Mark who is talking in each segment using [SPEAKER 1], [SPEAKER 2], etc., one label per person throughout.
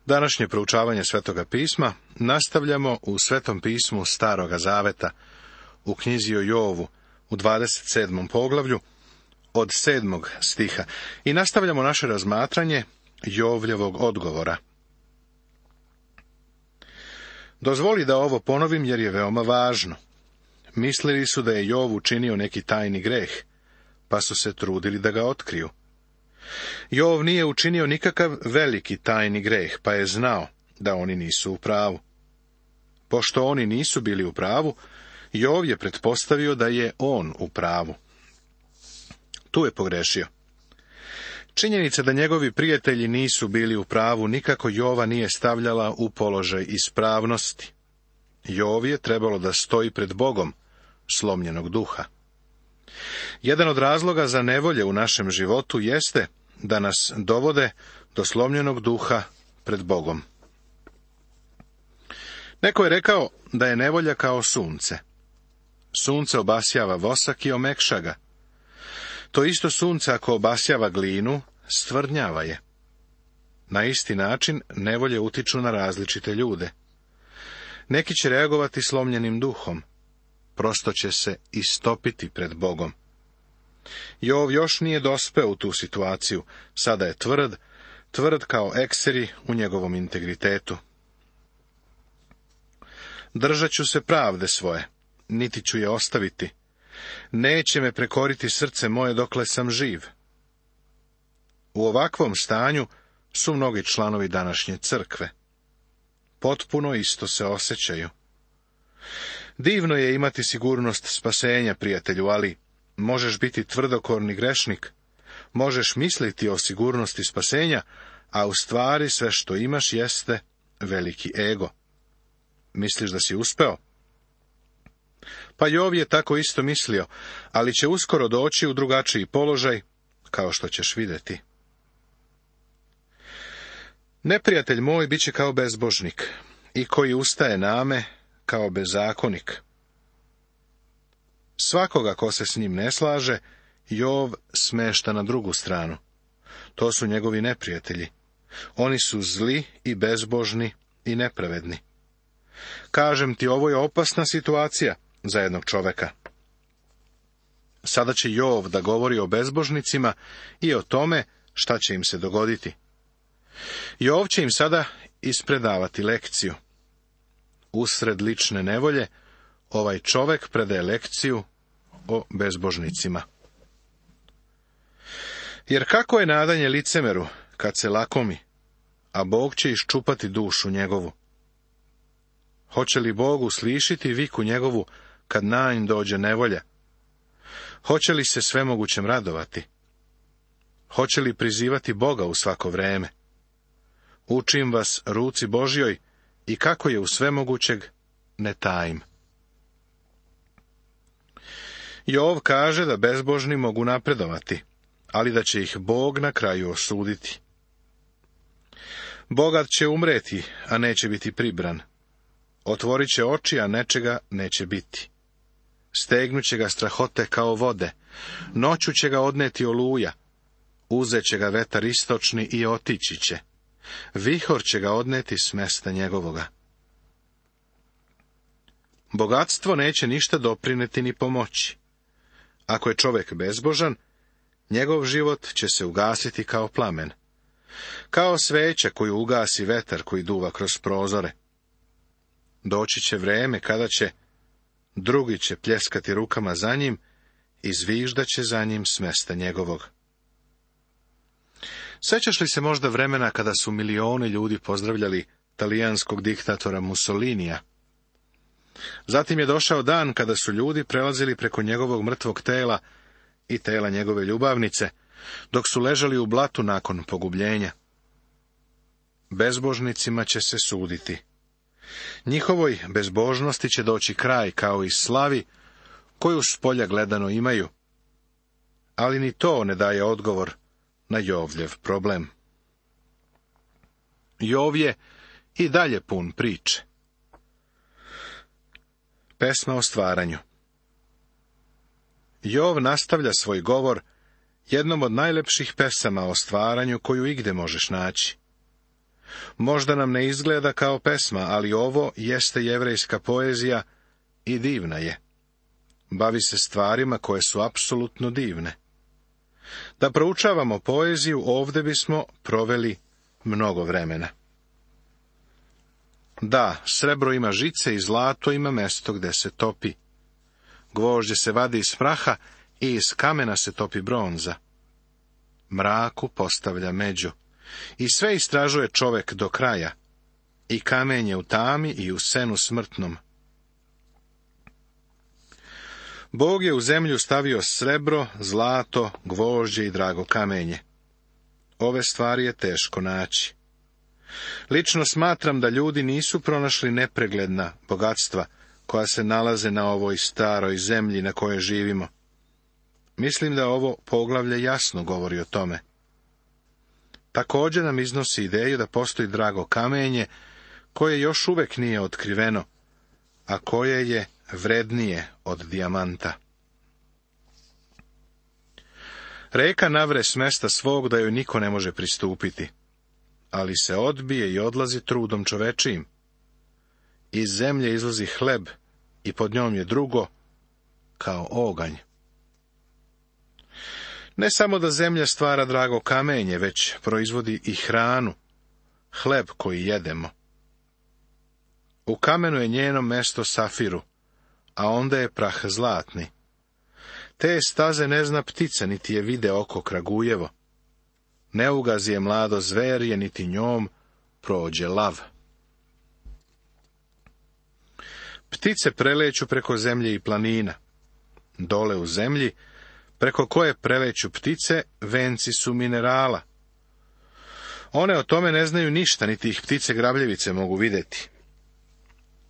[SPEAKER 1] Današnje proučavanje Svetoga pisma nastavljamo u Svetom pismu Staroga zaveta, u knjizi o Jovu, u 27. poglavlju, od 7. stiha, i nastavljamo naše razmatranje Jovljevog odgovora. Dozvoli da ovo ponovim jer je veoma važno. Mislili su da je Jov učinio neki tajni greh, pa su se trudili da ga otkriju. Jov nije učinio nikakav veliki tajni greh, pa je znao da oni nisu u pravu. Pošto oni nisu bili u pravu, Jov je pretpostavio da je on u pravu. Tu je pogrešio. Činjenica da njegovi prijatelji nisu bili u pravu nikako Jova nije stavljala u položaj ispravnosti. Jov je trebalo da stoji pred Bogom slomljenog duha. Jedan od razloga za nevolje u našem životu jeste da nas dovode do slomljenog duha pred Bogom. Neko je rekao da je nevolja kao sunce. Sunce obasjava vosak i omekša ga. To isto sunce ako obasjava glinu, stvrdnjava je. Na isti način nevolje utiču na različite ljude. Neki će reagovati slomljenim duhom. Prosto će se istopiti pred Bogom. Jov još nije dospeo u tu situaciju. Sada je tvrd kao ekseri u njegovom integritetu. Držat ću se pravde svoje, niti ću je ostaviti. Neće me prekoriti srce moje dokle sam živ. U ovakvom stanju su mnogi članovi današnje crkve. Potpuno isto se osjećaju. Divno je imati sigurnost spasenja, prijatelju, ali možeš biti tvrdokorni grešnik, možeš misliti o sigurnosti spasenja, a u stvari sve što imaš jeste veliki ego. Misliš da si uspeo? Pa Jov je tako isto mislio, ali će uskoro doći u drugačiji položaj, kao što ćeš vidjeti. Neprijatelj moj bit će kao bezbožnik, i koji ustaje name kao bezakonik. Svakoga ko se s njim ne slaže, Jov smešta na drugu stranu. To su njegovi neprijatelji. Oni su zli i bezbožni i nepravedni. Kažem ti, ovo je opasna situacija za jednog čoveka. Sada će Jov da govori o bezbožnicima i o tome šta će im se dogoditi. Jov će im sada ispredavati lekciju. Usred lične nevolje, ovaj čovek predaje lekciju o bezbožnicima. Jer kako je nadanje licemeru kad se lakomi, a Bog će iščupati dušu njegovu? Hoće li Bog uslišiti viku njegovu kad na nj dođe nevolja? Hoće li se svemogućem radovati? Hoće li prizivati Boga u svako vreme? Učim vas ruci Božjoj i kako je u svemogućeg ne tajim. Jov kaže da bezbožni mogu napredovati, ali da će ih Bog na kraju osuditi. Bogat će umreti, a neće biti pribran. Otvorit će oči, a nečega neće biti. Stegnuće ga strahote kao vode, noću će ga odneti oluja, uzet će ga vetar istočni i otići će. Vihor će ga odneti s mesta njegovoga. Bogatstvo neće ništa doprineti ni pomoći. Ako je čovjek bezbožan, njegov život će se ugasiti kao plamen. Kao sveća koju ugasi vetar koji duva kroz prozore. Doći će vreme kada će drugi će pljeskati rukama za njim i zviždat će za njim s mesta njegovog. Sjećaš li se možda vremena kada su milioni ljudi pozdravljali talijanskog diktatora Mussolinija? Zatim je došao dan kada su ljudi prelazili preko njegovog mrtvog tela i tela njegove ljubavnice, dok su ležali u blatu nakon pogubljenja. Bezbožnicima će se suditi. Njihovoj bezbožnosti će doći kraj kao i slavi koju s polja gledano imaju. Ali ni to ne daje odgovor na Jovljev problem. Jov je i dalje pun priče. Pesma o stvaranju. Jov nastavlja svoj govor jednom od najlepših pesama o stvaranju koju igde možeš naći. Možda nam ne izgleda kao pesma, ali ovo jeste jevrejska poezija i divna je. Bavi se stvarima koje su apsolutno divne. Da proučavamo poeziju, ovdje bismo proveli mnogo vremena. Da, srebro ima žice i zlato ima mesto gde se topi. Gvožđe se vadi iz praha i iz kamena se topi bronza. Mraku postavlja među. I sve istražuje čovek do kraja. I kamen je u tami i u senu smrtnom. Bog je u zemlju stavio srebro, zlato, gvožđe i drago kamenje. Ove stvari je teško naći. Lično smatram da ljudi nisu pronašli nepregledna bogatstva koja se nalaze na ovoj staroj zemlji na kojoj živimo. Mislim da ovo poglavlje jasno govori o tome. Također nam iznosi ideju da postoji drago kamenje koje još uvek nije otkriveno, a koje je vrednije od dijamanta. Reka navre s mesta svog da joj niko ne može pristupiti, ali se odbije i odlazi trudom čovečijim. Iz zemlje izlazi hleb i pod njom je drugo, kao oganj. Ne samo da zemlja stvara drago kamenje, već proizvodi i hranu, hleb koji jedemo. U kamenu je njeno mesto safiru, a onda je prah zlatni. Te staze ne zna ptica, niti je vide oko kragujevo. Ne ugazi je mlado zverje, niti njom prođe lav. Ptice preleću preko zemlje i planina. Dole u zemlji, preko koje preleću ptice, venci su minerala. One o tome ne znaju ništa, niti ih ptice grabljevice mogu vidjeti.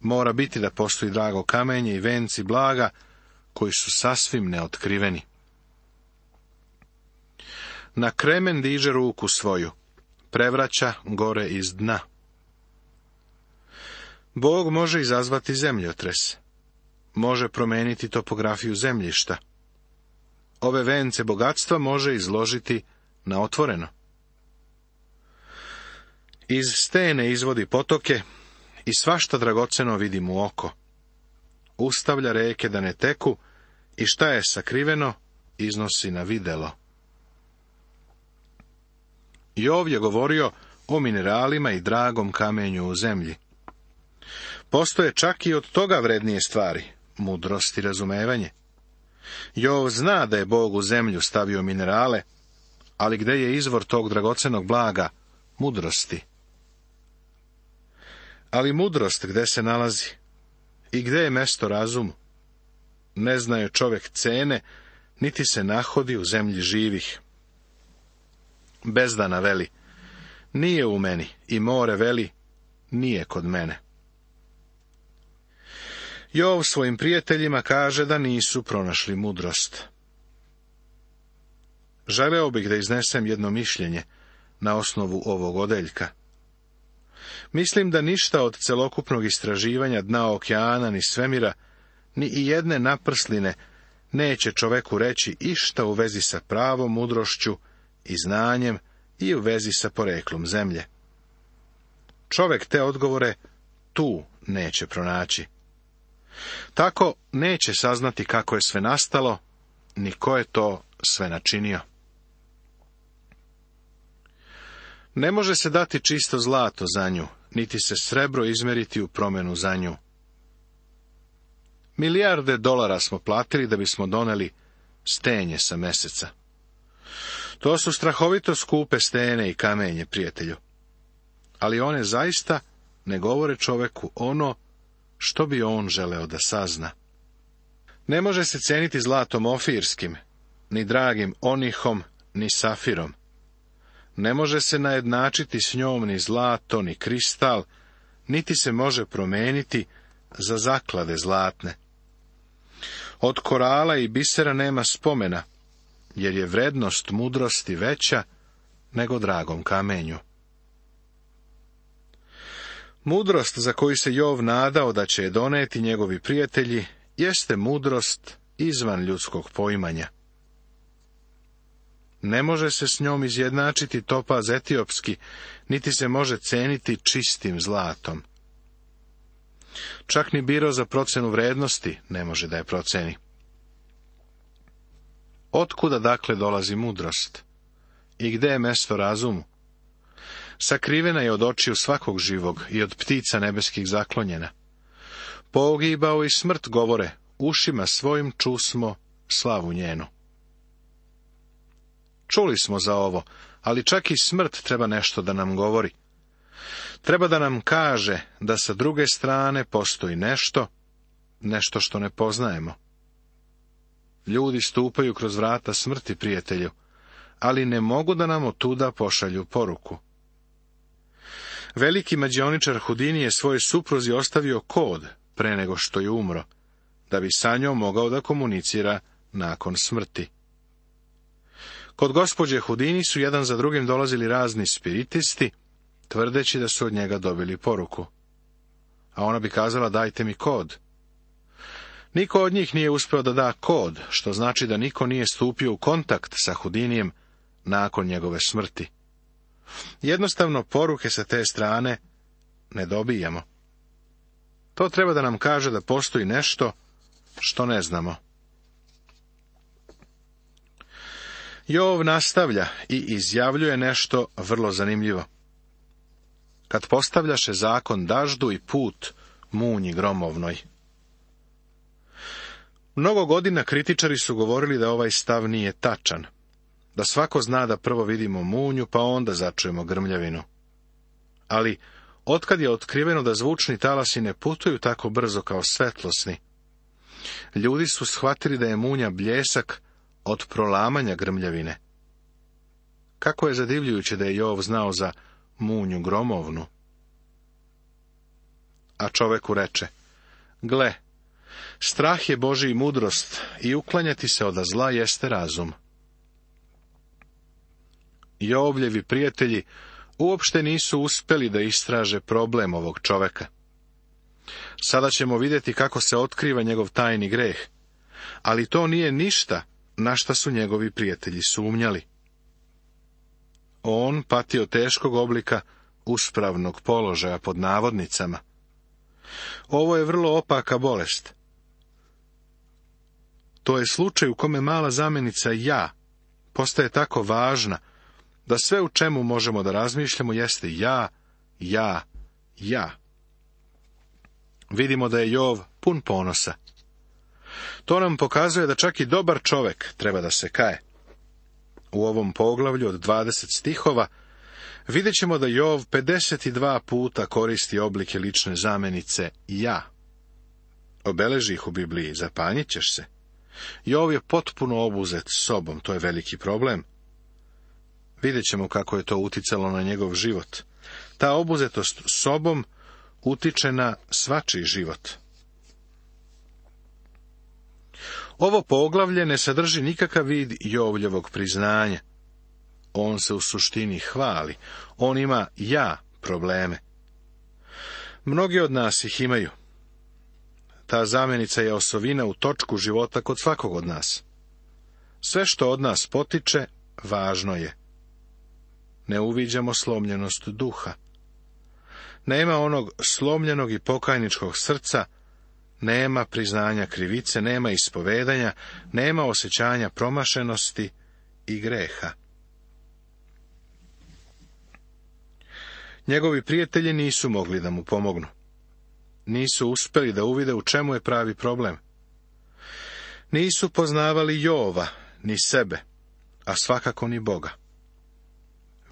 [SPEAKER 1] Mora biti da postoji drago kamenje i venci blaga, koji su sasvim neotkriveni. Na kremen diže ruku svoju, prevraća gore iz dna. Bog može izazvati zemljotres, može promeniti topografiju zemljišta. Ove vence bogatstva može izložiti na otvoreno. Iz stene izvodi potoke i svašta dragoceno vidi mu oko. Ustavlja reke da ne teku i šta je sakriveno iznosi na videlo. Jov je govorio o mineralima i dragom kamenju u zemlji. Postoje čak i od toga vrednije stvari, mudrost i razumevanje. Jov zna da je Bog u zemlju stavio minerale, ali gde je izvor tog dragocenog blaga, mudrosti? Ali mudrost gde se nalazi? I gde je mesto razumu? Ne zna je čovek cene, niti se nahodi u zemlji živih. Bezdana veli, nije u meni, i more veli, nije kod mene. Jov svojim prijateljima kaže da nisu pronašli mudrost. Želeo bih da iznesem jedno mišljenje na osnovu ovog odeljka. Mislim da ništa od celokupnog istraživanja dna okeana ni svemira, ni i jedne naprsline neće čoveku reći išta u vezi sa pravom mudrošću i znanjem i u vezi sa poreklom zemlje. Čovek te odgovore tu neće pronaći. Tako neće saznati kako je sve nastalo, ni ko je to sve načinio. Ne može se dati čisto zlato za nju, niti se srebro izmeriti u promjenu za nju. Milijarde dolara smo platili da bismo doneli stenje sa meseca. To su strahovito skupe stene i kamenje, prijatelju. Ali one zaista ne govore čoveku ono što bi on želeo da sazna. Ne može se ceniti zlatom ofirskim, ni dragim onihom, ni safirom. Ne može se najednačiti s njom ni zlato, ni kristal, niti se može promeniti za zaklade zlatne. Od korala i bisera nema spomena, jer je vrednost mudrosti veća nego dragom kamenju. Mudrost za koju se Jov nadao da će je doneti njegovi prijatelji, jeste mudrost izvan ljudskog poimanja. Ne može se s njom izjednačiti topaz etiopski, niti se može ceniti čistim zlatom. Čak ni biro za procenu vrednosti ne može da je proceni. Otkuda dakle dolazi mudrost? I gde je mesto razumu? Sakrivena je od očiju svakog živog i od ptica nebeskih zaklonjena. Pogibao i smrt govore, ušima svojim čusmo slavu njenu. Čuli smo za ovo, ali čak i smrt treba nešto da nam govori. Treba da nam kaže da sa druge strane postoji nešto što ne poznajemo. Ljudi stupaju kroz vrata smrti, prijatelju, ali ne mogu da nam otuda pošalju poruku. Veliki mađioničar Hudini je svojoj supruzi ostavio kod pre nego što je umro, da bi sa njom mogao da komunicira nakon smrti. Kod gospođe Hudini su jedan za drugim dolazili razni spiritisti, tvrdeći da su od njega dobili poruku. A ona bi kazala, dajte mi kod. Niko od njih nije uspeo da da kod, što znači da niko nije stupio u kontakt sa Hudinijem nakon njegove smrti. Jednostavno, poruke sa te strane ne dobijamo. To treba da nam kaže da postoji nešto što ne znamo. Jov nastavlja i izjavljuje nešto vrlo zanimljivo. Kad postavljaše zakon daždu i put munji gromovnoj. Mnogo godina kritičari su govorili da ovaj stav nije tačan, da svako zna da prvo vidimo munju, pa onda začujemo grmljavinu. Ali, otkad je otkriveno da zvučni talasi ne putuju tako brzo kao svetlosni, ljudi su shvatili da je munja bljesak od prolamanja grmljavine. Kako je zadivljujuće da je Jov znao za munju gromovnu. A čoveku reče, gle, strah je Božji mudrost i uklanjati se od zla jeste razum. Jovljevi prijatelji uopšte nisu uspeli da istraže problem ovog čoveka. Sada ćemo vidjeti kako se otkriva njegov tajni greh, ali to nije ništa na šta su njegovi prijatelji sumnjali. On pati od teškog oblika uspravnog položaja pod navodnicama. Ovo je vrlo opaka bolest. To je slučaj u kome mala zamenica ja postaje tako važna, da sve u čemu možemo da razmišljamo jeste ja. Vidimo da je Jov pun ponosa. To nam pokazuje da čak i dobar čovek treba da se kaje. U ovom poglavlju od 20 stihova vidjet ćemo da Jov 52 puta koristi oblike lične zamenice ja. Obeleži ih u Bibliji, zapanjit ćeš se. Jov je potpuno obuzet sobom, to je veliki problem. Vidjet ćemo kako je to uticalo na njegov život. Ta obuzetost sobom utiče na svačiji život. Ovo poglavlje ne sadrži nikakav vid Jovljevog priznanja. On se u suštini hvali. On ima probleme. Mnogi od nas ih imaju. Ta zamenica je osovina u točku života kod svakog od nas. Sve što od nas potiče, važno je. Ne uviđamo slomljenost duha. Nema onog slomljenog i pokajničkog srca, nema priznanja krivice, nema ispovedanja, nema osjećanja promašenosti i greha. Njegovi prijatelji nisu mogli da mu pomognu. Nisu uspeli da uvide u čemu je pravi problem. Nisu poznavali Jova, ni sebe, a svakako ni Boga.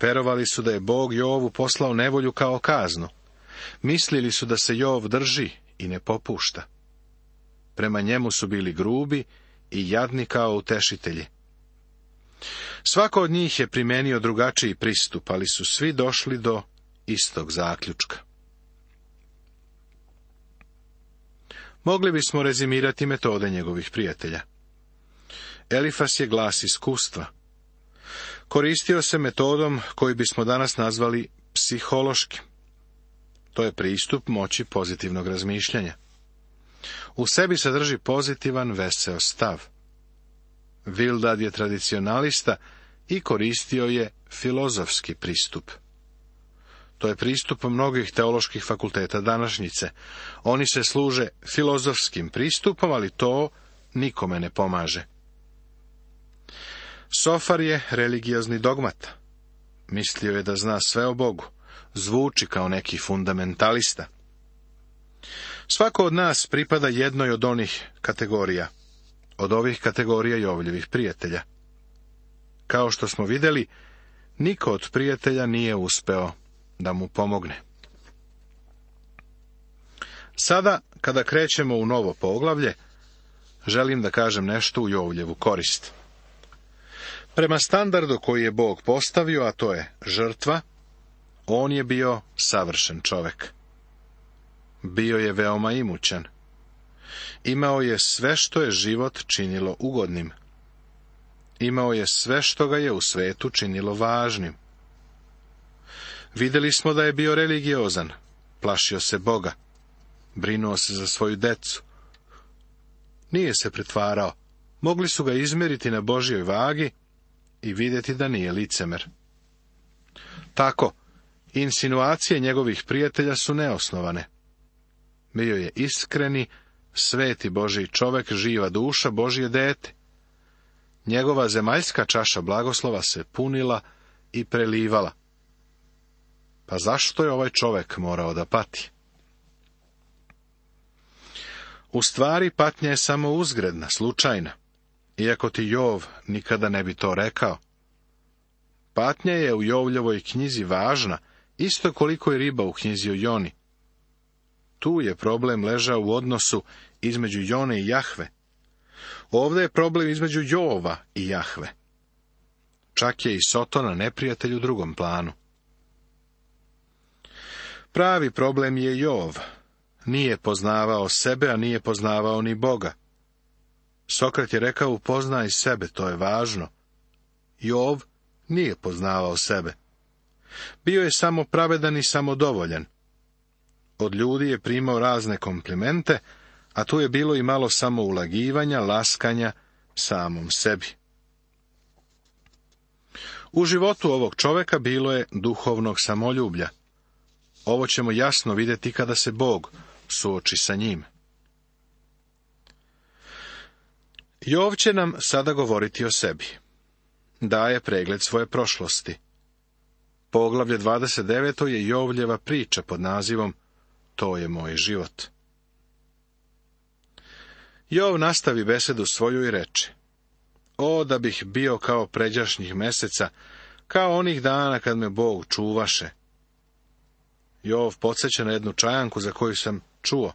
[SPEAKER 1] Verovali su da je Bog Jovu poslao nevolju kao kaznu. Mislili su da se Jov drži i ne popušta. Prema njemu su bili grubi i jadni kao utešitelji. Svako od njih je primenio drugačiji pristup, ali su svi došli do istog zaključka. Mogli bismo rezimirati metode njegovih prijatelja. Elifas je glas iskustva. Koristio se metodom koju bismo danas nazvali psihološkim. To je pristup moći pozitivnog razmišljanja. U sebi sadrži pozitivan, veseo stav. Bildad je tradicionalista i koristio je filozofski pristup. To je pristup mnogih teoloških fakulteta današnjice. Oni se služe filozofskim pristupom, ali to nikome ne pomaže. Sofar je religiozni dogmat. Mislio je da zna sve o Bogu. Zvuči kao neki fundamentalista. Svako od nas pripada jednoj od onih kategorija. Od ovih kategorija Jovljevih prijatelja. Kao što smo vidjeli, niko od prijatelja nije uspeo da mu pomogne. Sada, kada krećemo u novo poglavlje, želim da kažem nešto u Jovljevu korist. Prema standardu koji je Bog postavio, a to je žrtva, on je bio savršen čovek. Bio je veoma imućan. Imao je sve što je život činilo ugodnim. Imao je sve što ga je u svetu činilo važnim. Vidjeli smo da je bio religiozan, plašio se Boga, brinuo se za svoju decu. Nije se pretvarao, mogli su ga izmjeriti na Božjoj vagi i vidjeti da nije licemer. Tako, insinuacije njegovih prijatelja su neosnovane. Bio je iskreni, sveti Božji čovek, živa duša, Božje dete. Njegova zemaljska čaša blagoslova se punila i prelivala. Pa zašto je ovaj čovek morao da pati? U stvari, patnja je samo uzgredna, slučajna, iako ti Jov nikada ne bi to rekao. Patnja je u Jovljevoj knjizi važna, isto koliko i riba u knjizi o Joni. Tu je problem ležao u odnosu između Jone i Jahve. Ovdje je problem između Jova i Jahve. Čak je i Sotona neprijatelj u drugom planu. Pravi problem je Jov. Nije poznavao sebe, a nije poznavao ni Boga. Sokrat je rekao, upoznaj sebe, to je važno. Jov nije poznavao sebe. Bio je samo pravedan i samodovoljan. Od ljudi je primao razne komplimente, a tu je bilo i malo samoulagivanja, laskanja samom sebi. U životu ovog čoveka bilo je duhovnog samoljublja. Ovo ćemo jasno vidjeti kada se Bog suoči sa njim. Jov će nam sada govoriti o sebi. Daje pregled svoje prošlosti. Poglavlje 29. je Jovljeva priča pod nazivom To je moj život. Jov nastavi besedu svoju i reče: O, da bih bio kao pređašnjih meseca, kao onih dana kad me Bog čuvaše. Jov podsjeća na jednu čajanku za koju sam čuo.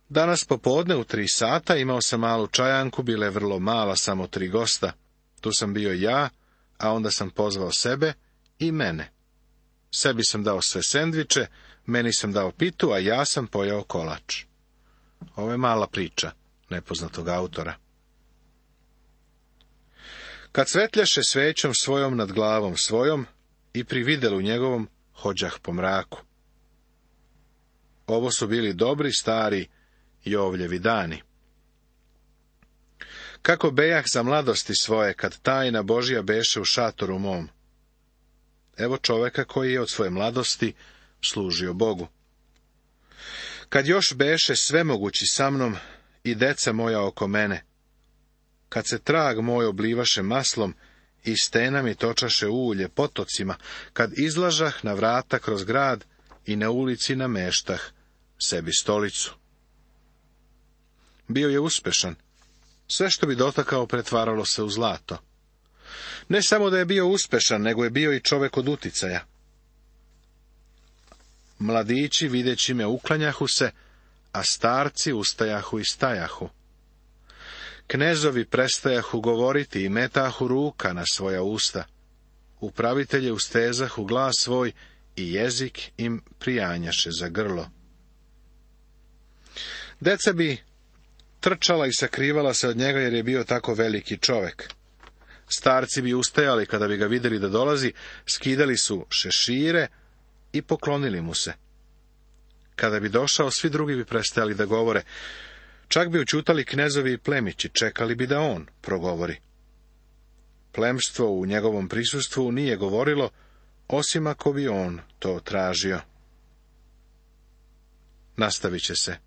[SPEAKER 1] Danas popodne u 3 sata imao sam malu čajanku, bila je vrlo mala, samo 3 gosta. Tu sam bio ja, a onda sam pozvao sebe i mene. Sebi sam dao sve sendviče, meni sam dao pitu, a ja sam pojao kolač. Ovo je mala priča nepoznatog autora. Kad svetljaše svećom svojom nad glavom svojom i pri videlu njegovom hođah po mraku. Ovo su bili dobri stari Jovljevi dani. Kako bejah za mladosti svoje, kad tajna Božja beše u šatoru mom. Evo čoveka koji je od svoje mladosti služio Bogu. Kad još beše svemogući sa mnom i deca moja oko mene, kad se trag moj oblivaše maslom i stena mi točaše ulje potocima, kad izlažah na vrata kroz grad i na ulici nameštah sebi stolicu. Bio je uspešan. Sve što bi dotakao pretvaralo se u zlato. Ne samo da je bio uspešan, nego je bio i čovek od uticaja. Mladići videći me uklanjahu se, a starci ustajahu i stajahu. Knezovi prestajahu govoriti i metahu ruka na svoja usta. Upravitelje ustezahu glas svoj i jezik im prijanjaše za grlo. Deca bi trčala i sakrivala se od njega jer je bio tako veliki čovek. Starci bi ustajali kada bi ga vidjeli da dolazi, skidali su šešire i poklonili mu se. Kada bi došao, svi drugi bi prestajali da govore. Čak bi učutali knezovi i plemići, čekali bi da on progovori. Plemstvo u njegovom prisustvu nije govorilo, osim ako bi on to tražio. Nastavit će se.